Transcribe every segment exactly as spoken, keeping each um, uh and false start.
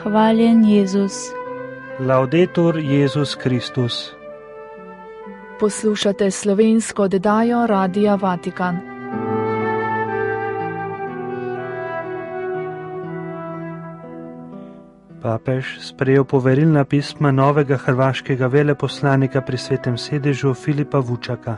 Hvaljen Jezus. Laudetur Jezus Kristus. Poslušate slovensko oddajo Radia Vatikan. Papež sprejel poverilna pisma novega hrvaškega veleposlanika pri Svetem sedežu Filipa Vučaka.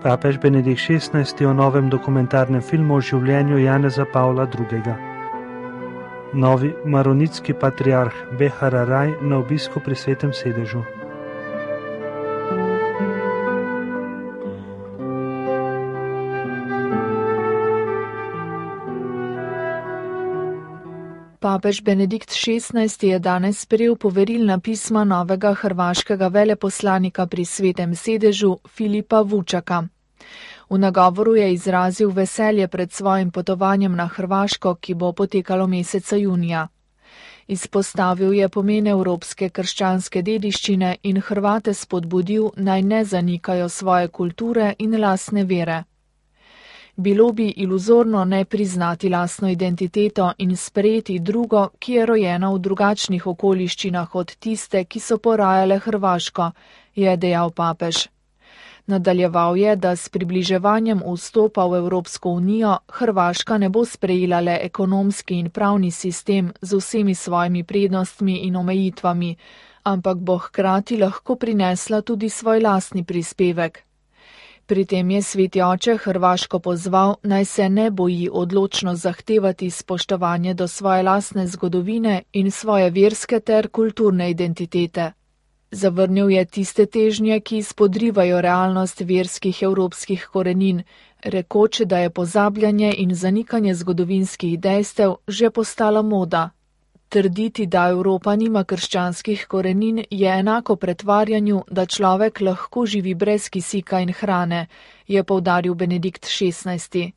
Papež Benedikt šestnajsti o novem dokumentarnem filmu o življenju Janeza Pavla drugega. Novi maronitski patriarh Behararaj na obisku pri Svetem sedežu. Papež Benedikt šestnajsti je danes sprejel poverilna pisma novega hrvaškega veleposlanika pri Svetem sedežu Filipa Vučaka. V nagovoru je izrazil veselje pred svojim potovanjem na Hrvaško, ki bo potekalo meseca junija. Izpostavil je pomen evropske krščanske dediščine in Hrvate spodbudil, naj ne zanikajo svoje kulture in lastne vere. Bilo bi iluzorno ne priznati lastno identiteto in sprejeti drugo, ki je rojena v drugačnih okoliščinah od tiste, ki so porajale Hrvaško, je dejal papež. Nadaljeval je, da s približevanjem vstopa v Evropsko unijo Hrvaška ne bo sprejela le ekonomski in pravni sistem z vsemi svojimi prednostmi in omejitvami, ampak bo hkrati lahko prinesla tudi svoj lastni prispevek. Pri tem je Sveti oče Hrvaško pozval, naj se ne boji odločno zahtevati spoštovanje do svoje lastne zgodovine in svoje verske ter kulturne identitete. Zavrnil je tiste težnje, ki spodrivajo realnost verskih evropskih korenin, rekoč, da je pozabljanje in zanikanje zgodovinskih dejstev že postala moda. Trditi, da Evropa nima krščanskih korenin, je enako pretvarjanju, da človek lahko živi brez kisika in hrane, je poudaril Benedikt šestnajsti.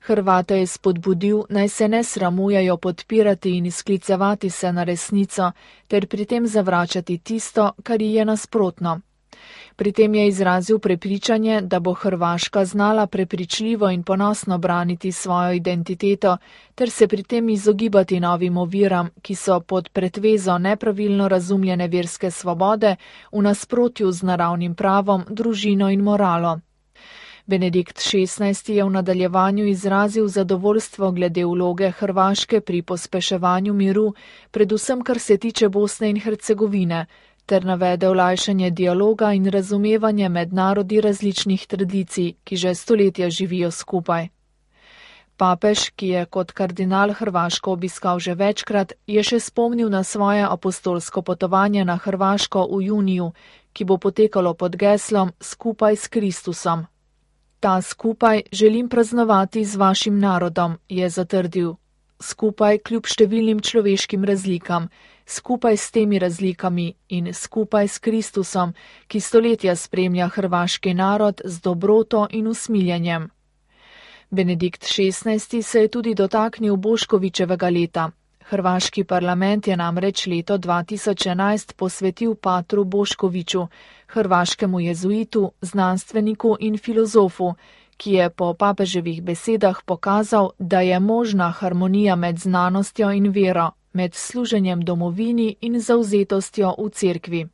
Hrvate je spodbudil, naj se ne sramujejo podpirati in sklicevati se na resnico, ter pri tem zavračati tisto, kar ji je nasprotno. Pri tem je izrazil prepričanje, da bo Hrvaška znala prepričljivo in ponosno braniti svojo identiteto, ter se pri tem izogibati novim oviram, ki so pod pretvezo nepravilno razumljene verske svobode v nasprotju z naravnim pravom, družino in moralo. Benedikt šestnajsti je v nadaljevanju izrazil zadovoljstvo glede vloge Hrvaške pri pospeševanju miru, predvsem kar se tiče Bosne in Hercegovine, ter navede olajšanje dialoga in razumevanje med narodi različnih tradicij, ki že stoletja živijo skupaj. Papež, ki je kot kardinal Hrvaško obiskal že večkrat, je še spomnil na svoje apostolsko potovanje na Hrvaško v juniju, ki bo potekalo pod geslom Skupaj s Kristusom. Ta skupaj želim praznovati z vašim narodom, je zatrdil. Skupaj kljub številnim človeškim razlikam, skupaj s temi razlikami in skupaj s Kristusom, ki stoletja spremlja hrvaški narod z dobroto in usmiljenjem. Benedikt šestnajsti se je tudi dotaknil Boškovićevega leta. Hrvaški parlament je namreč leto dva tisoč enajst posvetil patru Boškoviću, hrvaškemu jezuitu, znanstveniku in filozofu, ki je po papeževih besedah pokazal, da je možna harmonija med znanostjo in vero, med služenjem domovini in zavzetostjo v cerkvi.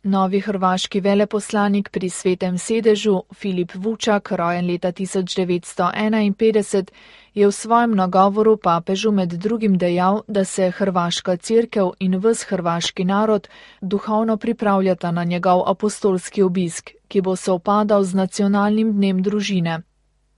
Novi hrvaški veleposlanik pri Svetem sedežu, Filip Vučak, rojen leta tisoč devetsto enainpetdeset, je v svojem nagovoru papežu med drugim dejal, da se hrvaška cerkev in ves hrvaški narod duhovno pripravljata na njegov apostolski obisk, ki bo sovpadal z nacionalnim dnem družine.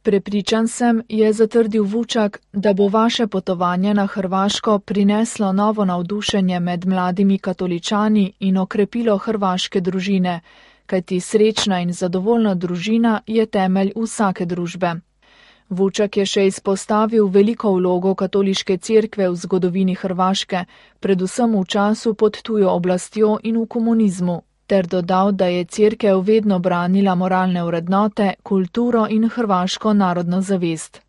Prepričan sem, je zatrdil Vučak, da bo vaše potovanje na Hrvaško prineslo novo navdušenje med mladimi katoličani in okrepilo hrvaške družine, kajti srečna in zadovoljna družina je temelj vsake družbe. Vučak je še izpostavil veliko vlogo katoliške cerkve v zgodovini Hrvaške, predvsem v času pod tujo oblastjo in v komunizmu, ter dodal, da je cerkev vedno branila moralne vrednote, kulturo in hrvaško narodno zavest.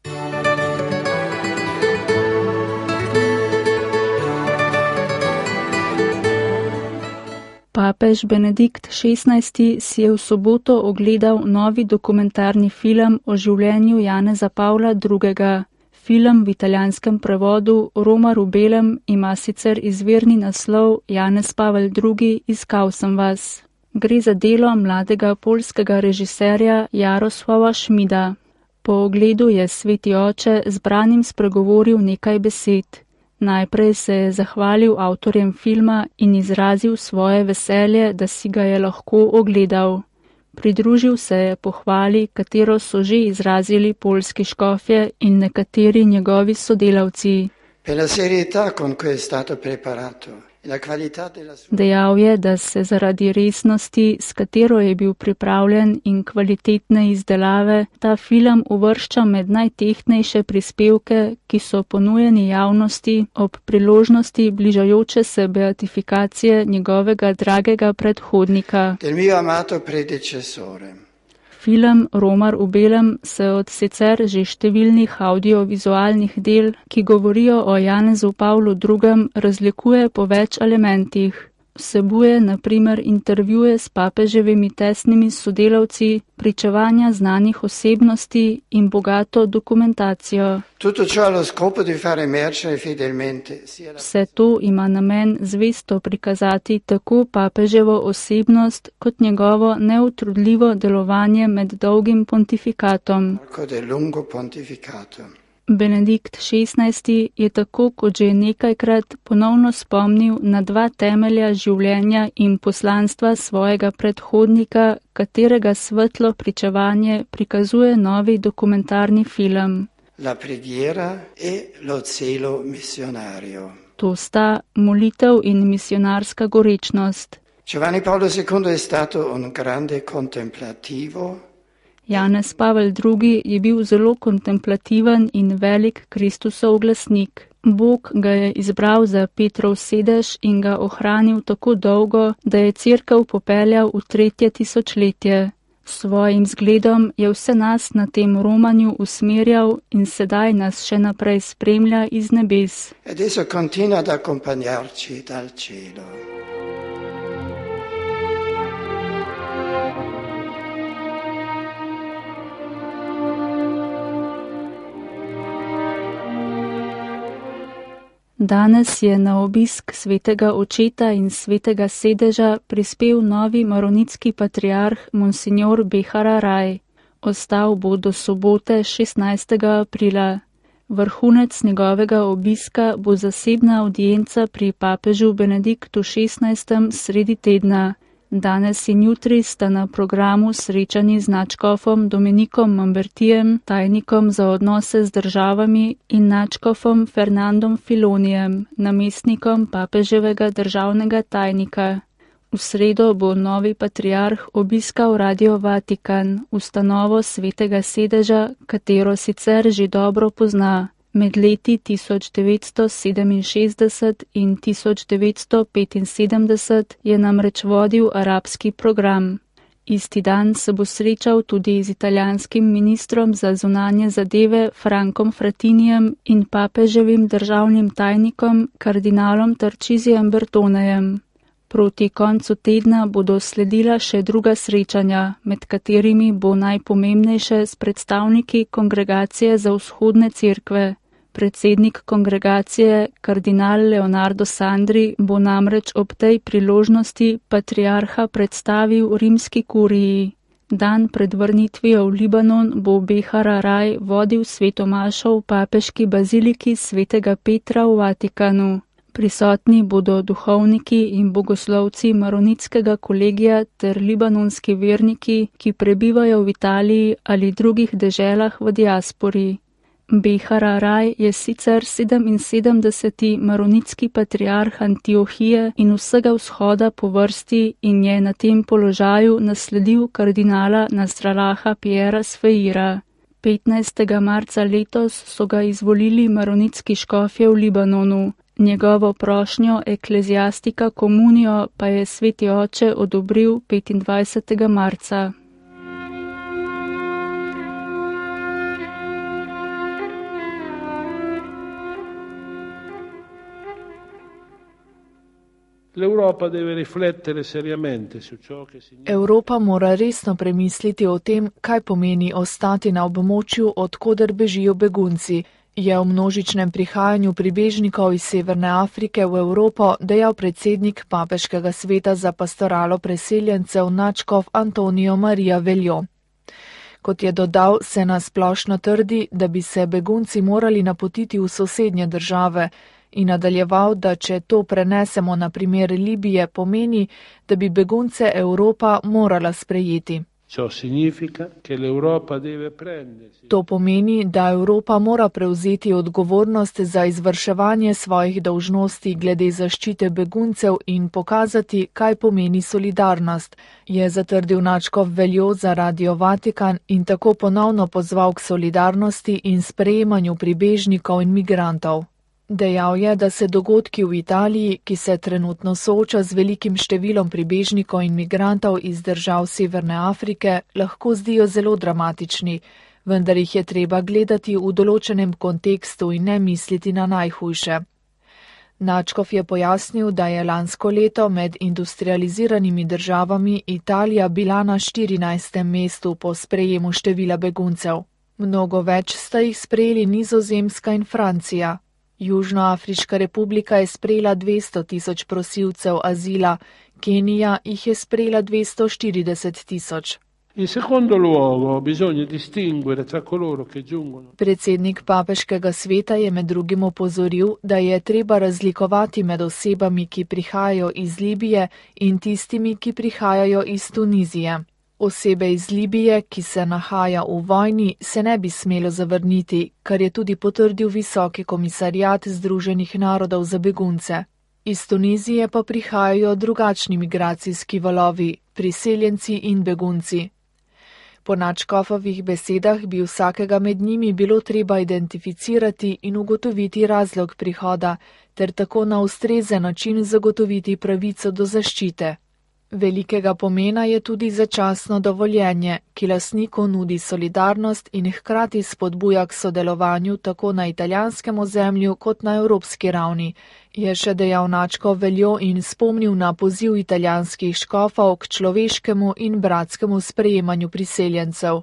Papež Benedikt šestnajsti si je v soboto ogledal novi dokumentarni film o življenju Janeza Pavla drugega. film v italijanskem prevodu Romar v belem ima sicer izvirni naslov Janez Pavel drugi. Iskal sem vas. Gre za delo mladega poljskega režiserja Jarosława Šmida. Po ogledu je sveti oče zbranim spregovoril nekaj besed. Najprej se je zahvalil avtorjem filma in izrazil svoje veselje, da si ga je lahko ogledal. Pridružil se je pohvali, katero so že izrazili poljski škofje in nekateri njegovi sodelavci. Dejal je, da se zaradi resnosti, s katero je bil pripravljen, in kvalitetne izdelave, ta film uvršča med najtehtnejše prispevke, ki so ponujeni javnosti ob priložnosti bližajoče se beatifikacije njegovega dragega predhodnika. Film Romar v belem se od sicer že številnih audiovizualnih del, ki govorijo o Janezu Pavlu drugem, razlikuje po več elementih. Vsebuje na primer intervjuje s papeževimi tesnimi sodelavci, pričevanja znanih osebnosti in bogato dokumentacijo. Vse to ima namen zvesto prikazati tako papeževo osebnost kot njegovo neutrudljivo delovanje med dolgim pontifikatom. Benedikt šestnajsti je tako kot že nekajkrat ponovno spomnil na dva temelja življenja in poslanstva svojega predhodnika, katerega svetlo pričevanje prikazuje novi dokumentarni film. La preghiera e lo zelo missionario. To sta molitev in misionarska gorečnost. Giovanni Paolo secondo è stato un grande contemplativo. Janez Pavel drugi. Je bil zelo kontemplativen in velik Kristusov glasnik. Bog ga je izbral za Petrov sedež in ga ohranil tako dolgo, da je cerkev popeljal v tretje tisočletje. S svojim zgledom je vse nas na tem romanju usmerjal in sedaj nas še naprej spremlja iz nebes. Adesso continua ad accompagnarci dal cielo. Danes je na obisk svetega očeta in svetega sedeža prispel novi maronitski patriarh Monsignor Behara Raj. Ostal bo do sobote šestnajstega aprila. Vrhunec njegovega obiska bo zasebna avdienca pri papežu Benediktu šestnajstem sredi tedna. Danes in jutri sta na programu srečani z nadškofom Dominikom Mambertijem, tajnikom za odnose z državami, in nadškofom Fernandom Filonijem, namestnikom papeževega državnega tajnika. V sredo bo novi patriarh obiskal Radio Vatikan, ustanovo svetega sedeža, katero sicer že dobro pozna. Med leti tisoč devetsto sedeminšestdeset in tisoč devetsto petinsedemdeset je namreč vodil arabski program. Isti dan se bo srečal tudi z italijanskim ministrom za zunanje zadeve Frankom Fratinijem in papeževim državnim tajnikom kardinalom Tarčizijem Bertonejem. Proti koncu tedna bodo sledila še druga srečanja, med katerimi bo najpomembnejše s predstavniki Kongregacije za vzhodne cerkve. Predsednik kongregacije, kardinal Leonardo Sandri, bo namreč ob tej priložnosti patriarha predstavil rimski kuriji. Dan pred vrnitvijo v Libanon bo Behara Raj vodil svetomašo v papeški baziliki svetega Petra v Vatikanu. Prisotni bodo duhovniki in bogoslovci maronitskega kolegija ter libanonski verniki, ki prebivajo v Italiji ali drugih deželah v diaspori. Behara Raj je sicer sedeminsedemdeseti maronitski patriarh Antiohije in vsega vzhoda po vrsti in je na tem položaju nasledil kardinala Nasralaha Piera Sfeira. petnajstega marca letos so ga izvolili maronitski škofje v Libanonu. Njegovo prošnjo ekleziastika komunijo pa je sveti oče odobril petindvajsetega marca. Evropa mora resno premisliti o tem, kaj pomeni ostati na območju, od koder bežijo begunci. je o množičnem prihajanju pribežnikov iz Severne Afrike v Evropo dejal predsednik Papeškega sveta za pastoralo preseljencev nadškof Antonijo Marija Veljo. Kot je dodal, se nasplošno trdi, da bi se begunci morali napotiti v sosednje države in nadaljeval, da če to prenesemo na primer Libije, pomeni, da bi begunce Evropa morala sprejeti. To pomeni, da Evropa mora prevzeti odgovornost za izvrševanje svojih dolžnosti glede zaščite beguncev in pokazati, kaj pomeni solidarnost, je zatrdil nadškof Veljo za Radio Vatikan in tako ponovno pozval k solidarnosti in sprejemanju pribežnikov in migrantov. Dejal je, da se dogodki v Italiji, ki se trenutno sooča z velikim številom pribežnikov in migrantov iz držav Severne Afrike, lahko zdijo zelo dramatični, vendar jih je treba gledati v določenem kontekstu in ne misliti na najhujše. Nadškof je pojasnil, da je lansko leto med industrializiranimi državami Italija bila na štirinajstem mestu po sprejemu števila beguncev. Mnogo več sta jih sprejeli Nizozemska in Francija. Južnoafriška republika je sprejela dvesto tisoč prosilcev azila, Kenija jih je sprejela dvesto štirideset tisoč. Predsednik Papeškega sveta je med drugim opozoril, da je treba razlikovati med osebami, ki prihajajo iz Libije in tistimi, ki prihajajo iz Tunizije. Osebe iz Libije, ki se nahaja v vojni, se ne bi smelo zavrniti, kar je tudi potrdil Visoki komisariat Združenih narodov za begunce. Iz Tunizije pa prihajajo drugačni migracijski valovi, priseljenci in begunci. Po nadškofovih besedah bi vsakega med njimi bilo treba identificirati in ugotoviti razlog prihoda, ter tako na ustrezen način zagotoviti pravico do zaščite. Velikega pomena je tudi začasno dovoljenje, ki lastniku nudi solidarnost in hkrati spodbuja k sodelovanju tako na italijanskem ozemlju kot na evropski ravni, je še dejal nadškof Veljo in spomnil na poziv italijanskih škofov k človeškemu in bratskemu sprejemanju priseljencev.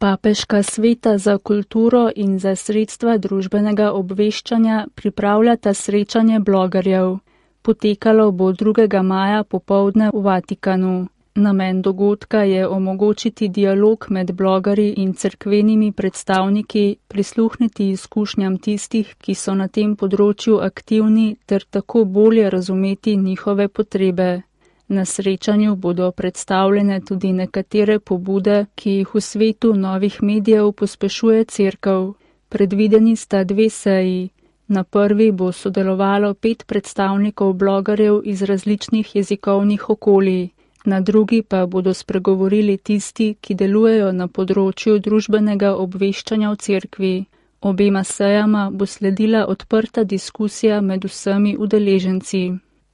Papeška sveta za kulturo in za sredstva družbenega obveščanja pripravljata srečanje blogerjev. Potekalo bo drugega maja popoldne v Vatikanu. Namen dogodka je omogočiti dialog med blogerji in cerkvenimi predstavniki, prisluhniti izkušnjam tistih, ki so na tem področju aktivni, ter tako bolje razumeti njihove potrebe. Na srečanju bodo predstavljene tudi nekatere pobude, ki jih v svetu novih medijev pospešuje cerkev. Predvideni sta dve seji. Na prvi bo sodelovalo pet predstavnikov blogerjev iz različnih jezikovnih okolij. Na drugi pa bodo spregovorili tisti, ki delujejo na področju družbenega obveščanja v cerkvi. Obema sejama bo sledila odprta diskusija med vsemi udeleženci.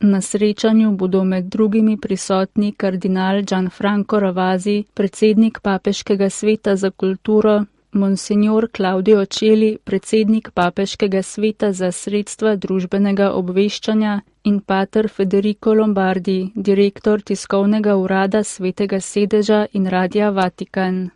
Na srečanju bodo med drugimi prisotni kardinal Gianfranco Ravasi, predsednik Papeškega sveta za kulturo, monsignor Claudio Celi, predsednik Papeškega sveta za sredstva družbenega obveščanja in pater Federico Lombardi, direktor tiskovnega urada Svetega sedeža in Radia Vatikan.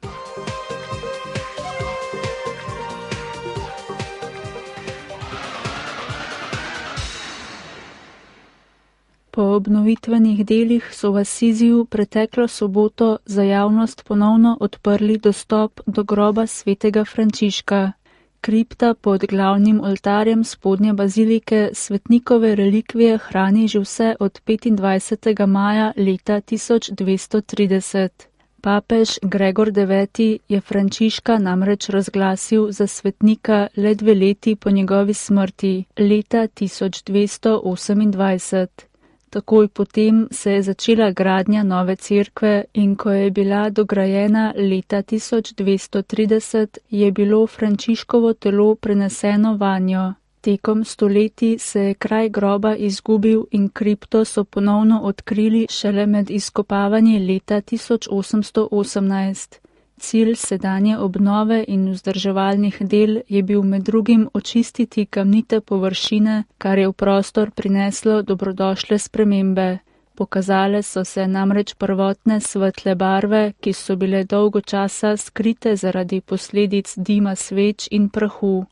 Po obnovitvenih delih so v Asiziju preteklo soboto za javnost ponovno odprli dostop do groba svetega Frančiška. Kripta pod glavnim oltarjem spodnje bazilike svetnikove relikvije hrani že vse od petindvajsetega maja leta tisoč dvesto trideset. Papež Gregor deveti je Frančiška namreč razglasil za svetnika le dve leti po njegovi smrti, leta tisoč dvesto osemindvajset. Takoj potem se je začela gradnja nove cerkve in ko je bila dograjena leta tisoč dvesto trideset, je bilo Frančiškovo telo preneseno vanjo. Tekom stoletij se je kraj groba izgubil in kripto so ponovno odkrili šele med izkopavanji leta tisoč osemsto osemnajst. Cilj sedanje obnove in vzdrževalnih del je bil med drugim očistiti kamnite površine, kar je v prostor prineslo dobrodošle spremembe. Pokazale so se namreč prvotne svetle barve, ki so bile dolgo časa skrite zaradi posledic dima sveč in prahu.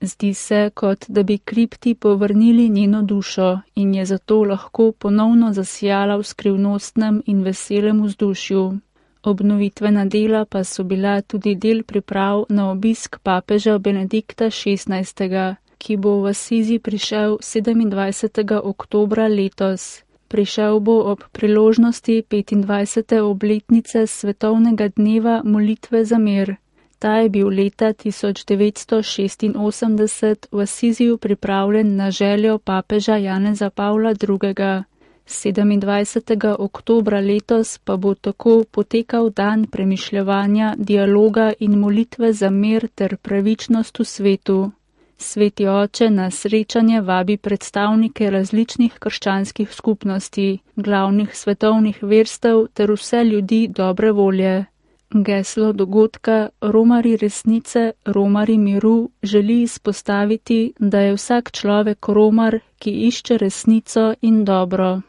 Zdi se, kot da bi kripti povrnili njeno dušo in je zato lahko ponovno zasijala v skrivnostnem in veselem vzdušju. Obnovitvena dela pa so bila tudi del priprav na obisk papeža Benedikta šestnajstega, ki bo v Asizi prišel sedemindvajsetega oktobra letos. Prišel bo ob priložnosti petindvajsete obletnice svetovnega dneva molitve za mir. Ta je bil leta tisoč devetsto šestinosemdeset v Asiziju pripravljen na željo papeža Janeza Pavla drugega. sedemindvajsetega oktobra letos pa bo tako potekal dan premišljevanja, dialoga in molitve za mir ter pravičnost v svetu. Sveti oče na srečanje vabi predstavnike različnih krščanskih skupnosti, glavnih svetovnih verstev ter vse ljudi dobre volje. Geslo dogodka Romarji resnice, Romarji miru želi izpostaviti, da je vsak človek romar, ki išče resnico in dobro.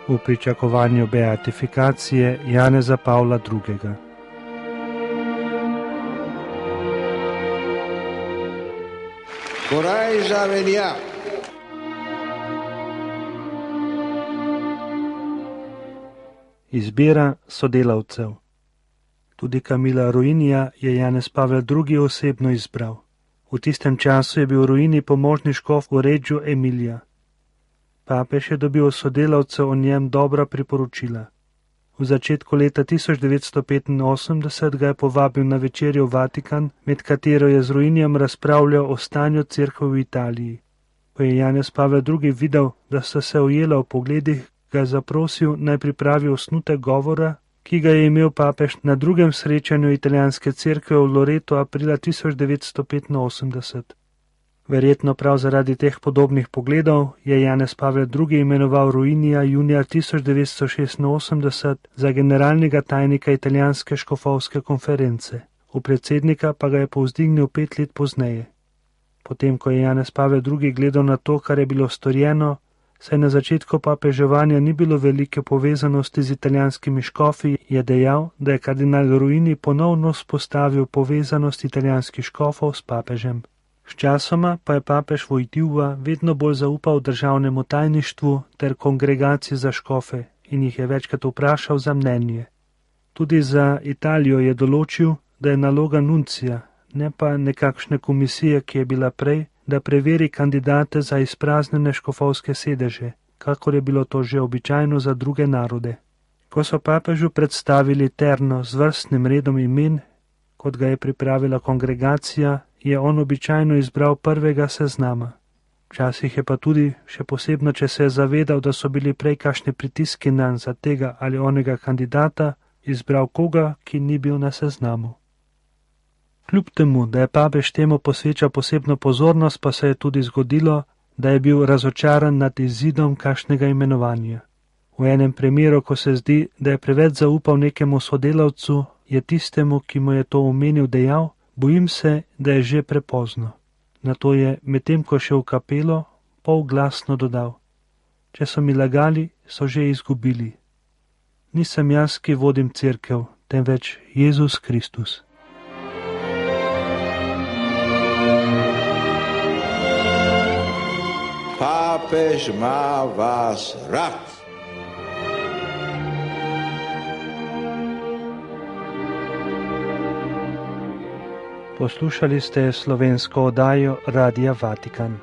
V pričakovanju beatifikacije Janeza Pavla drugega. Corajža venja. Izbira sodelavcev. Tudi Camilla Ruinija je Janez Pavel drugi osebno izbral. V tistem času je bil Ruini pomožni škof v Reggio Emilia. Papež je dobil sodelavcev o njem dobra priporočila. V začetku leta tisoč devetsto petinosemdeset ga je povabil na večerjo v Vatikan, med katero je z Ruinijem razpravljal o stanju cerkve v Italiji. Ko je Janez Pavel drugi videl, da sta se ujela v pogledih, ga je zaprosil, naj pripravi osnutek govora, ki ga je imel papež na drugem srečanju italijanske cerkve v Loretu aprila tisoč devetsto petinosemdeset. Verjetno prav zaradi teh podobnih pogledov je Janez Pavel drugi imenoval Ruinija junija tisoč devetsto šestinosemdeset za generalnega tajnika italijanske škofovske konference, v predsednika pa ga je povzdignil pet let pozneje. Potem, ko je Janez Pavel drugi gledal na to, kar je bilo storjeno, saj na začetku papeževanja ni bilo velike povezanosti z italijanskimi škofi, je dejal, da je kardinal Ruini ponovno spostavil povezanost italijanskih škofov s papežem. Sčasoma pa je papež Vojtila vedno bolj zaupal državnemu tajništvu ter kongregaciji za škofe in jih je večkrat vprašal za mnenje. Tudi za Italijo je določil, da je naloga nuncija, ne pa nekakšne komisije, ki je bila prej, da preveri kandidate za izpraznjene škofovske sedeže, kakor je bilo to že običajno za druge narode. Ko so papežu predstavili terno z vrstnim redom imen, kot ga je pripravila kongregacija, je on običajno izbral prvega seznama. Včasih je pa tudi, še posebno, če se je zavedal, da so bili prej kakšni pritiski nanj za tega ali onega kandidata, izbral koga, ki ni bil na seznamu. Kljub temu, da je papež temu posvečal posebno pozornost, pa se je tudi zgodilo, da je bil razočaran nad izidom kakšnega imenovanja. V enem primeru, ko se zdi, da je preveč zaupal nekemu sodelavcu, je tistemu, ki mu je to omenil, dejal: bojim se, da je že prepozno. Nato je, medtem ko šel v kapelo, polglasno dodal: če so mi lagali, so že izgubili. Nisem jaz, ki vodim cerkev, temveč Jezus Kristus. Papež ima vas rad. Poslušali ste slovensko oddajo Radia Vatikan.